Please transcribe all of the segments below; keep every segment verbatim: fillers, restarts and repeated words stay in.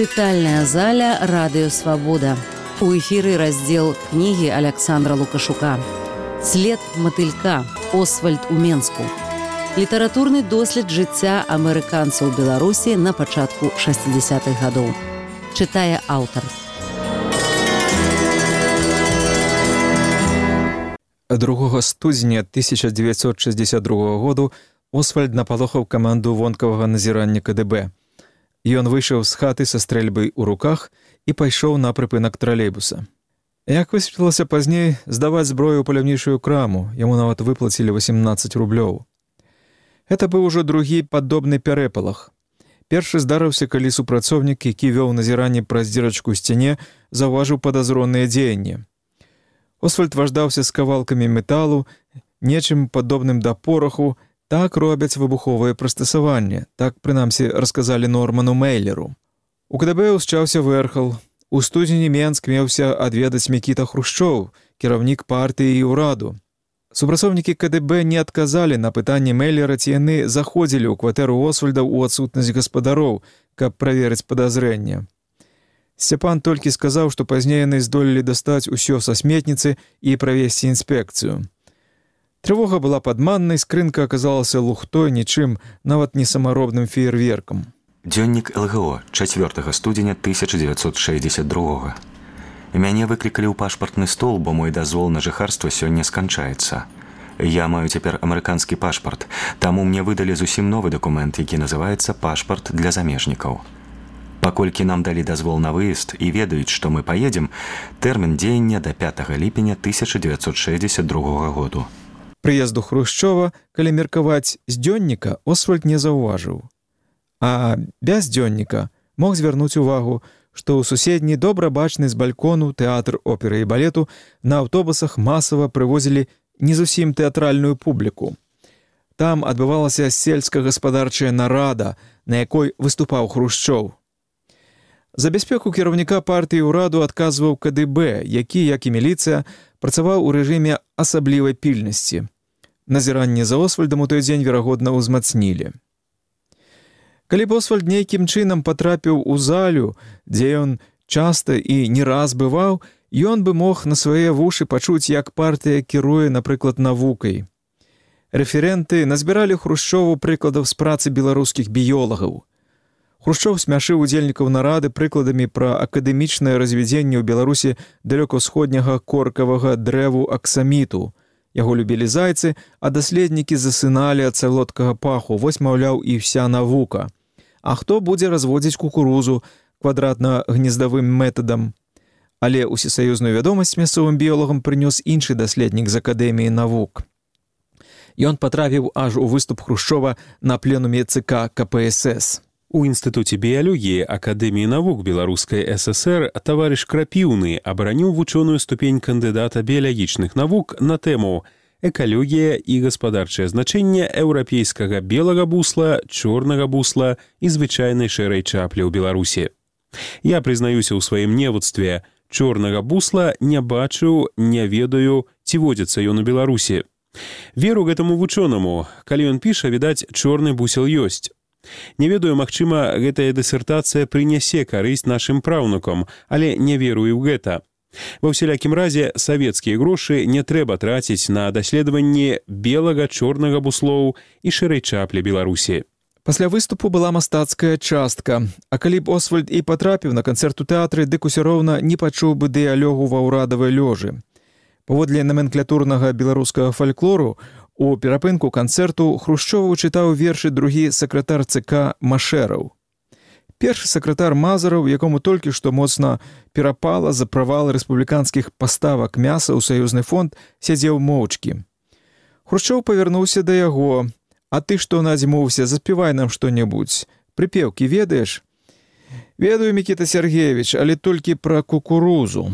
Чытальная заля «Радыё Свабода». У эфіры раздзел кнігі Аляксандра Лукашука «След матылька. Освальд у Менску». Літаратурны дослед жыцця амерыканцаў Беларусі на пачатку шэсцідзясятых гадоў. Чытае аўтар. другога студзеня тысяча дзевяцьсот шэсцьдзесят другога году Освальд напалохаў каманду вонкавага назірання ка дэ бэ. Ён выйшаў з хаты са стрэльбай у руках і пайшоў на прыпынак тралейбуса. Як высветлілася пазней, здаваць зброю ў паляўнічую краму, яму нават выплацілі васемнаццаць рублёў. Гэта быў ужо другі падобны пярэпалах. Першы здарыўся, калі супрацоўнік, які вёў назіранне праз дзірачку ў сцяне, заўважыў падазроныя дзеянні. Освальд важдаўся з кавалкамі металу, нечым падобным да пораху. Так робяць выбуховыя прыстасаванні, так, прынамсі, расказалі Норману Мейлеру. У ка дэ бэ ўсчаўся вэрхал. У студзені Менск меўся адведаць Мікіта Хрушчоў, кіраўнік партыі і ўраду. Супрацоўнікі ка дэ бэ не адказалі на пытанне Мейлера, ці яны заходзілі ў кватэру Освальда ў адсутнасць гаспадароў, каб праверыць падазрэнне. Сцяпан толькі сказаў, што пазней яны здолелі дастаць усё са сметніцы і правесці інспекцыю. Трывога была падманнай, скрынка аказалася лухтой, нічым, нават не самаробным феерверкам. Дзённік эл гэ о, чацвёртага студзеня тысяча дзевяцьсот шэсцьдзесят другога. Мяне выклікалі ў пашпартны стол, бо мой дазвол на жыхарства сёння сканчаецца. Я маю цяпер амерыканскі пашпарт, таму мне выдалі зусім новы дакумент, які называецца пашпарт для замежнікаў. Паколькі нам далі дазвол на выезд і ведаюць, што мы паедзем, тэрмін дзеяння да пятага ліпеня тысяча дзевяцьсот шэсцьдесят другога году. Прыезду Хрушчова, калі меркаваць з дзённіка, Освальд не заўважыў. А без дзённіка мог звярнуць увагу, што ў суседні добра бачны з балькону тэатр оперы і балету на аўтобусах масава прывозілі не зусім тэатральную публіку. Там адбывалася сельска-гаспадарчая нарада, на якой выступаў Хрушчоў. За бяспеку кіраўніка партыі ўраду адказваў ка дэ бэ, які, як і міліцыя, працаваў у рэжыме асаблівай пільнасці. Назіранне за Освальдам у той дзень, верагодна, узмацнілі. Калі б Освальд нейкім чынам патрапіў у залю, дзе ён часта і не раз бываў, ён бы мог на свае вушы пачуць, як партыя кіруе, напрыклад, навукай. Рэферэнты назбіралі Хрушчову прыкладаў з працы беларускіх біёлагаў. Хрушчоў смяшыў удзельнікаў нарады прыкладамі пра акадэмічнае развядзенне ў Беларусі далёка-ўсходняга коркавага дрэву аксаміту. Яго любілі зайцы, а даследнікі засыналі ад салодкага паху, вось, маўляў, і вся навука. А хто будзе разводзіць кукурузу квадратна-гнездавым метадам? Але ўсесаюзную вядомасць мясцовым біёлагам прынёс іншы даследнік з Акадэміі навук. Ён патрапіў аж у выступ Хрушчова на пленуме цэ ка ка пэ эс эс. У Інстытуце біялогіі Акадэміі навук Беларускай эс эс ер таварыш Крапіўны абараніў вучоную ступень кандыдата біялагічных навук на тэму «Экалогія і гаспадарчае значэнне еўрапейскага белага бусла, чорнага бусла і звычайнай шэрай чаплі ў Беларусі». Я прызнаюся ў сваім невуцтве, чорнага бусла не бачыў, не ведаю, ці водзіцца ён у Беларусі. Веру гэтаму вучонаму, калі ён піша, відаць, чорны бусел ёсць. Не ведаю, магчыма, гэтая дысертацыя прынясе карысць нашым праўнукам, але не верую ў гэта. Ва ўсялякім разе, савецкія грошы не трэба траціць на даследаванне белага, чорнага буслоў і шэрай чаплі Беларусі. Пасля выступу была мастацкая частка, а калі б Освальд і патрапіў на канцэрт у тэатры, дык усё роўна не пачуў бы дыялогу ва ўрадавай лёжы. Паводле наменклатурнага беларускага фальклору, у перапынку канцэрту Хрушчову чытаў вершы другі сакратар цэ ка Машэраў. Першы сакратар Мазараў, якому толькі што моцна перапала за правал рэспубліканскіх паставак мяса ў саюзны фонд, сядзеў моўчкі. Хрушчоў павярнуўся да яго. «А ты што надзьмуўся? Заспявай нам што-небудзь. Прыпеўкі ведаеш?» «Ведаю, Мікіта Сергеевич, але толькі пра кукурузу».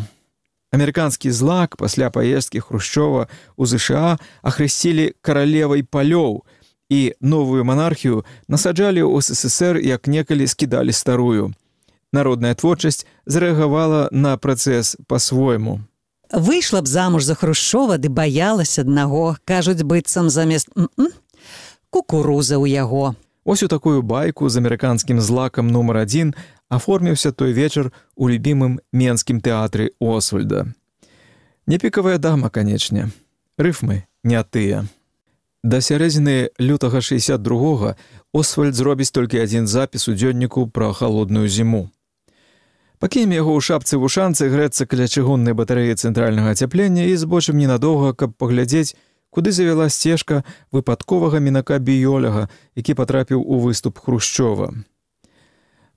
Амерыканскі злак пасля паездкі Хрушчова ў зэ ша а ахрысцілі каралевай палёў і новую манархію насаджалі ў эс эс эс ер, як некалі скідалі старую. Народная творчасць зарэагавала на працэс па-свойму. Выйшла б замуж за Хрушчова, ды баялась аднаго, кажуць, быццам замест м-м, кукуруза ў яго. Ось у такую байку з амерыканскім злакам нумар адзін аформіўся той вечар у любімым менскім тэатры Освальда. Не пікавая дама, канечне. Рыфмы не тыя. Да сярэдзіны лютага шэсцьдзесят другога Освальд зробіць толькі адзін запіс у дзённіку пра халодную зіму. Пакінем яго ў шапцы-вушанцы грэцца каля чыгуннай батарэі цэнтральнага ацяплення і збочым ненадоўга, каб паглядзець, куды завяла сцежка выпадковага мінака Біёляга, які патрапіў у выступ Хрушчова.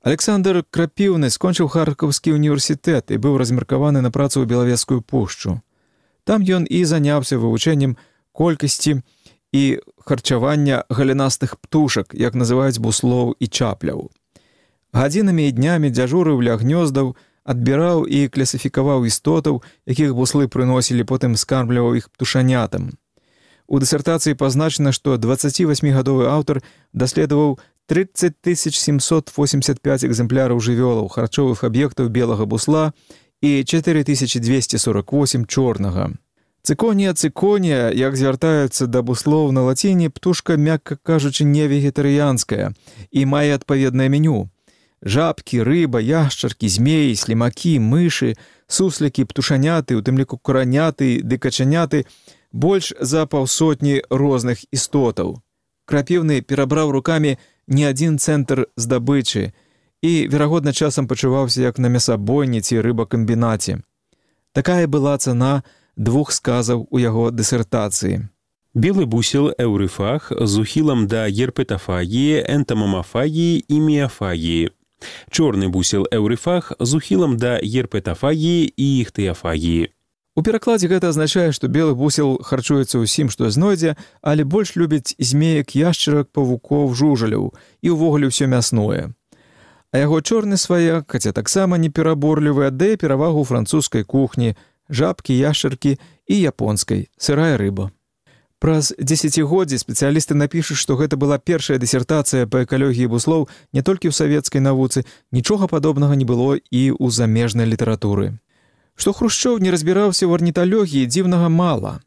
Александр Крапіўны скончыў Харкаўскі універсітэт і быў размеркаваны на працу ў Белавежскую пушчу. Там ён і заняўся вывучэннем колькасці і харчавання галінастых птушак, як называюць буслоў і чапляў. Гадзінамі і днямі дзяжурыў ля гнёздаў, адбіраў і класіфікаваў істотаў, якіх буслы прыносілі, потым скармліваў іх птушанятам. У дысертацыі пазначана, што дваццацівасьмігадовы аўтар даследаваў тридцать тысяч семьсот восемьдесят пять экземпляраў жывёлаў, харчовых аб'ектаў белага бусла і четыре тысячи двести сорок восемь чорнага. Цыконія цыконія, як звяртаюцца да буслоў на лаціне, птушка, мякка кажучы, не вегетарыянская і мае адпаведнае меню. Жабкі, рыба, яшчаркі, змеі, слімакі, мышы, суслікі, птушаняты, у тым ліку кураняты ды качаняты, больш за паўсотні розных істотаў. Крапіўны перабраў рукамі не адзін цэнтр здабычы і, верагодна, часам пачуваўся як на мясабойні ці рыбакамбінаце. Такая была цана двух сказаў у яго дысертацыі. Белы бусел эўрыфаг з ухілам да герпетафагіі, энтамамафагіі і міафагіі. Чорны бусел эўрыфаг з ухілам да герпетафагіі і іхтыяфагіі. У перакладзе гэта азначае, што белы бусел харчуецца ўсім, што знойдзе, але больш любіць змеек, яшчарак, павукоў, жужаляў і ўвогуле ўсё мясное. А яго чорны сваяк, хаця таксама не пераборлівы, аддае перавагу французскай кухні, жабкі, яшчаркі і японскай, сырая рыба. Праз дзесяцігоддзі спецыялісты напішуць, што гэта была першая дысертацыя па экалогіі буслоў не толькі ў савецкай навуцы, нічога падобнага не было і ў замежнай літаратуры. Што Хрушчоў не разбіраўся ў арніталогіі, дзіўнага мала.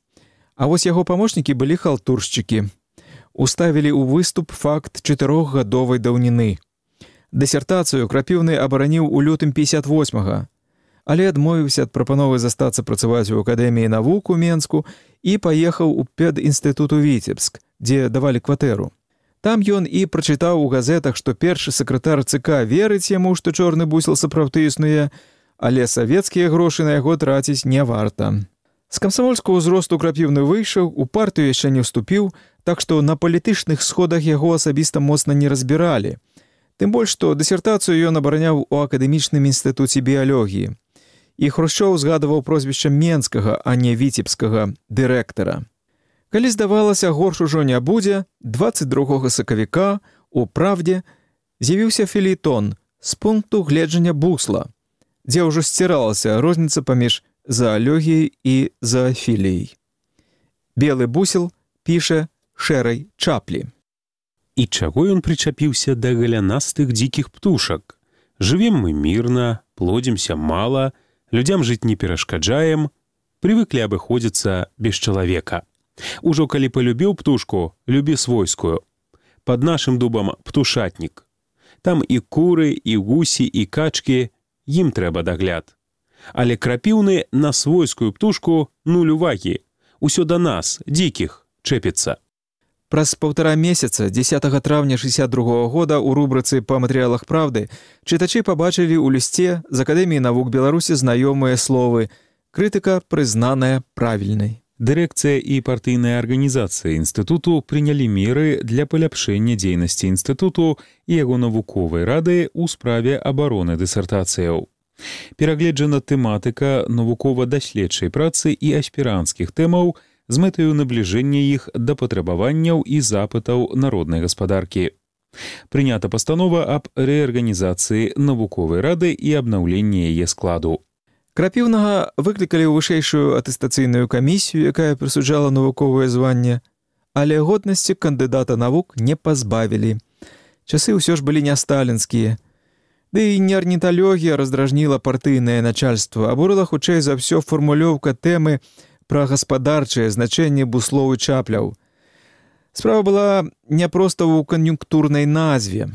А вось яго памочнікі былі халтуршчыкі. Уставілі ў выступ факт чатырохгадовай даўніны. Дысертацыю Крапіўны абараніў у лютым пятьдесят восьмага, але адмовіўся ад прапановы застацца працаваць у Акадэміі навук у Менску і паехаў у педінстытут у Віцебск, дзе давалі кватэру. Там ён і прачытаў у газетах, што першы сакратар ЦК верыць яму, што чорны бусел сапраўды існуе, але савецкія грошы на яго траціць не варта. З камсамольскага ўзросту Крапіўны выйшаў, у партыю яшчэ не ўступіў, так што на палітычных сходах яго асабіста моцна не разбіралі. Тым больш, што дысертацыю ён абараняў у акадэмічным інстытуце біялогіі. І Хрушчоў згадаваў прозвішча менскага, а не віцебскага дырэктара. Калі здавалася, горш ужо не будзе, дваццаць другога сакавіка у «Правде» з'явіўся фелейтон з пункту гледжання бусла, дзе ўжо сціралася розніца паміж заалогіяй і заафіліяй. Белы бусел піша шэрай чаплі. І чаго ён прычапіўся да галянастых дзікіх птушак? Жывем мы мірна, плодзімся мала, людзям жыць не перашкаджаем, прывыклі абыходзіцца без чалавека. Ужо калі палюбіў птушку, любі свойскую. Пад нашым дубам птушатнік. Там і куры, і гусі, і качкі, ім трэба дагляд. Але Крапіўны на свойскую птушку нуль увагі. Усё да нас, дзікіх, чэпіцца. Праз паўтара месяца, дзесятага траўня шэсцьдесят другога года, у рубрыцы «Па матэрыялах правды» чытачы пабачылі ў лісце з Акадэміі навук Беларусі знаёмыя словы «крытыка, прызнаная правільнай». Дырэкцыя і партыйная арганізацыя інстытуту прынялі меры для паляпшэння дзейнасці інстытуту і яго навуковай рады ў справе абароны дысертацыяў. Перагледжана тэматыка навукова-даследчай працы і аспіранцкіх тэмаў з мэтаю набліжэння іх да патрабаванняў і запытаў народнай гаспадаркі. Прынята пастанова аб рэарганізацыі навуковай рады і абнаўленні яе складу. Крапіўнага выклікалі ў вышэйшую атэстацыйную камісію, якая прысуджала навуковае званне, але годнасці кандыдата навук не пазбавілі. Часы ўсё ж былі не сталінскія. Ды і не арніталогія раздражніла партыйнае начальства, абурыла хутчэй за ўсё фармулёўка тэмы пра гаспадарчае значэнне буслоў і чапляў. Справа была не проста ў кан'юнктурнай назве.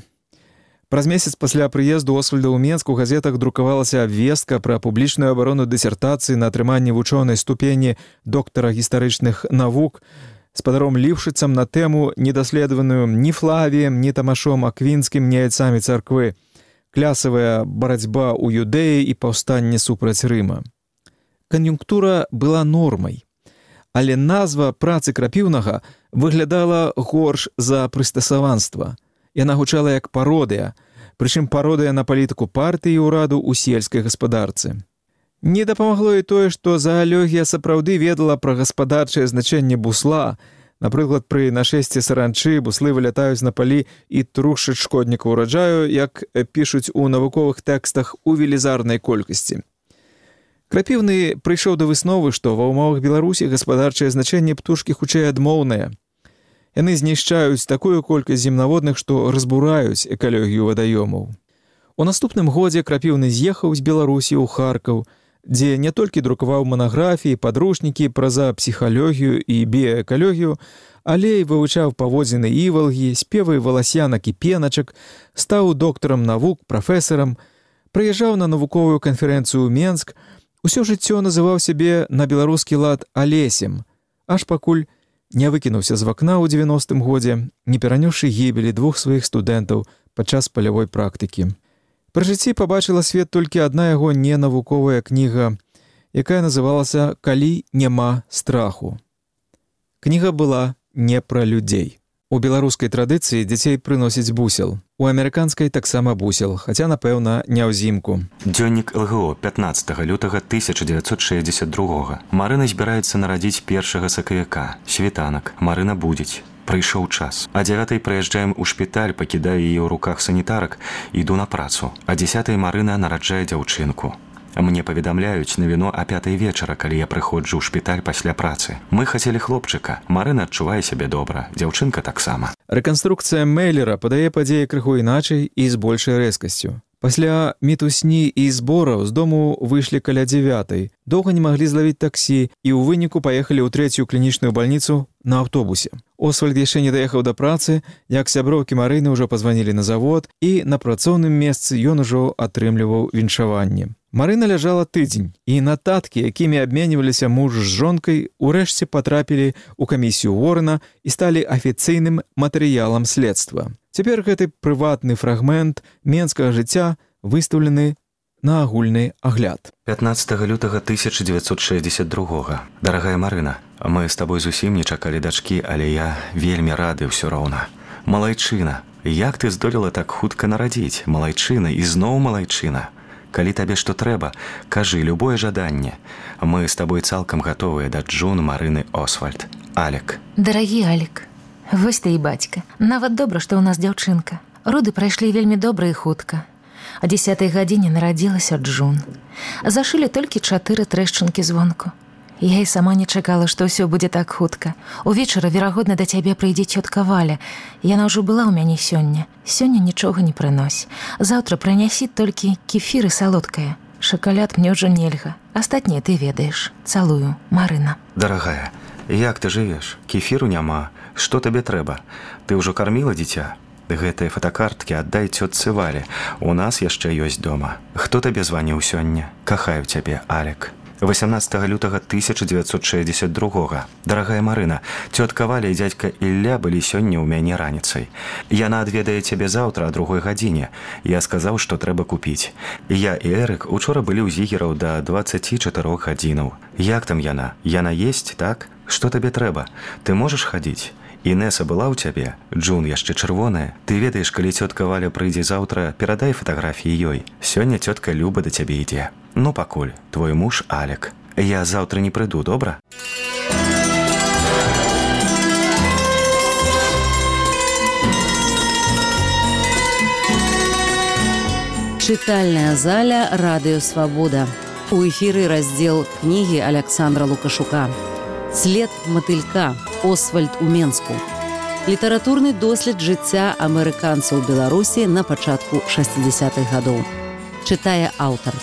Праз месяц пасля прыезду Освальда ў Менск у газетах друкавалася абвестка пра публічную абарону дысертацыі на атрыманне вучонай ступені доктара гістарычных навук спадаром Ліўшыцам на тэму, недаследаваную ні Флавіем, ні Тамашом Аквінскім, ні айцамі царквы, клясавая барацьба ў Юдэі і паўстанне супраць Рыма. Кан'юнктура была нормай, але назва працы Крапіўнага выглядала горш за прыстасаванства. Яна гучала як пародыя, прычым пародыя на палітыку партыі і ўраду ў сельскай гаспадарцы. Не дапамагло і тое, што заалогія сапраўды ведала пра гаспадарчае значэнне бусла. Напрыклад, пры нашэсці саранчы буслы вылятаюць на палі і трушаць шкодніка ўраджаю, як пішуць у навуковых тэкстах у велізарнай колькасці. Крапіўны прыйшоў да высновы, што ва ўмовах Беларусі гаспадарчае значэнне птушкі хутчэй адмоўнае. Яны знішчаюць такую колькасць земнаводных, што разбураюць экалогію вадаёмаў. У наступным годзе Крапіўны з'ехаў з Беларусі ў Харкаў, дзе не толькі друкаваў манаграфіі, падручнікі пра псіхалогію і біяэкалогію, але і вывучаў паводзіны івалгі, спевы валасянак і пеначак, стаў доктарам навук, прафесарам, прыязджаў на навуковую канферэнцыю ў Менск, усё жыццё называў сябе на беларускі лад Алесем, аж пакуль не выкінуўся з вакна ў дзевяностым годзе, не перанёсшы гібелі двух сваіх студэнтаў падчас палявой практыкі. Пры жыцці пабачыла свет толькі адна яго ненавуковая кніга, якая называлася «Калі няма страху». Кніга была не пра людзей. У беларускай традыцыі дзяцей прыносяць бусел. У амерыканскай таксама бусел, хаця, напэўна, не ўзімку. Дзённік ЛГО пятнаццатага лютага тысяча дзевяцьсот шэсцьдзесят другога. Марына збіраецца нарадзіць першага сакавіка. Світанак. Марына будзіць. Прыйшоў час. А дзявятай прыязджаем у шпіталь, пакідаю яе ў руках санітарак, іду на працу. А дзесятай Марына нараджае дзяўчынку. Мне паведамляюць навіну а пятай вечара, калі я прыходжу ў шпіталь пасля працы. Мы хацелі хлопчыка. Марына адчувае сябе добра. Дзяўчынка таксама. Рэканструкцыя Мейлера падае падзеі крыху іначай і з большай рэзкасцю. Пасля мітусні і збораў з дому выйшлі каля дзявятай. Доўга не маглі злавіць таксі і ў выніку паехалі ў трэцюю клінічную бальніцу на аўтобусе. Освальд яшчэ не даехаў да працы, як сяброўкі Марыны ўжо пазванілі на завод, і на працоўным месцы ён ужо атрымліваў віншаванне. Марына ляжала тыдзень, і нататкі, якімі абменьваліся муж з жонкай, урэшце патрапілі ў камісію Уоррена і сталі афіцыйным матэрыялам следства. Цяпер гэты прыватны фрагмент менскага жыцця выстаўлены на агульны агляд. пятнаццатага лютага тысяча дзевяцьсот шэсцьдзесят другога. Дарагая Марына, мы з табой зусім не чакалі дачкі, але я вельмі рады ўсё роўна. Малайчына, як ты здолела так хутка нарадзіць? Малайчына і зноў малайчына. Калі табе што трэба, кажы любое жаданне. Мы з табой цалкам гатовыя да Джун Марыны Освальд. Алек. Дарагі Алек, вось ты і бацька. Нават добра, што ў нас дзяўчынка. Роды прайшлі вельмі добра і хутка. А дзесятай гадзіне нарадзілася Джун. Зашылі толькі чатыры трэшчынкі звонку. Я і сама не чакала, што ўсё будзе так хутка. Увечары, верагодна, да цябе прыйдзе цётка Валя. Яна ўжо была ў мяне сёння. Сёння нічога не прынось. Заўтра прынясі толькі кефір і салодкае. Шакалад мне ўжо нельга. Астатняе ты ведаеш. Цалую, Марына. Дарагая, як ты жывеш? Кефіру няма. Што табе трэба? Ты ўжо карміла дзіця? Гэтыя фотакарткі аддай цётцы Вале. У нас яшчэ ёсць дома. Хто табе званіў сёння? Кахаю цябе, Алек. васямнаццатага лютага тысяча дзевяцьсот шэсцьдзесят другога. Дарагая Марына, цётка Валя і дзядзька Ілля былі сёння ў мяне раніцай. Яна адведае цябе заўтра а другой гадзіне. Я сказаў, што трэба купіць. Я і Эрык учора былі ў зігераў да дваццаці чатырох гадзінаў. Як там яна? Яна есць, так? Што табе трэба? Ты можаш хадзіць? Інеса была ў цябе? Джун яшчэ чырвоная. Ты ведаеш, калі цётка Валя прыйдзе заўтра, перадай фатаграфіі ёй. Сёння цётка Люба да цябе ідзе. Ну, пакуль, твой муж Алек. Я заўтра не прыйду, добра? Чытальная заля «Радыё Свабода». У эфіры раздзел кнігі Аляксандра Лукашука. «След матылька. Освальд у Менску». Літаратурны дослед жыцця амерыканцаў Беларусі на пачатку шэсцідзесятых гадоў. Чытае аўтар.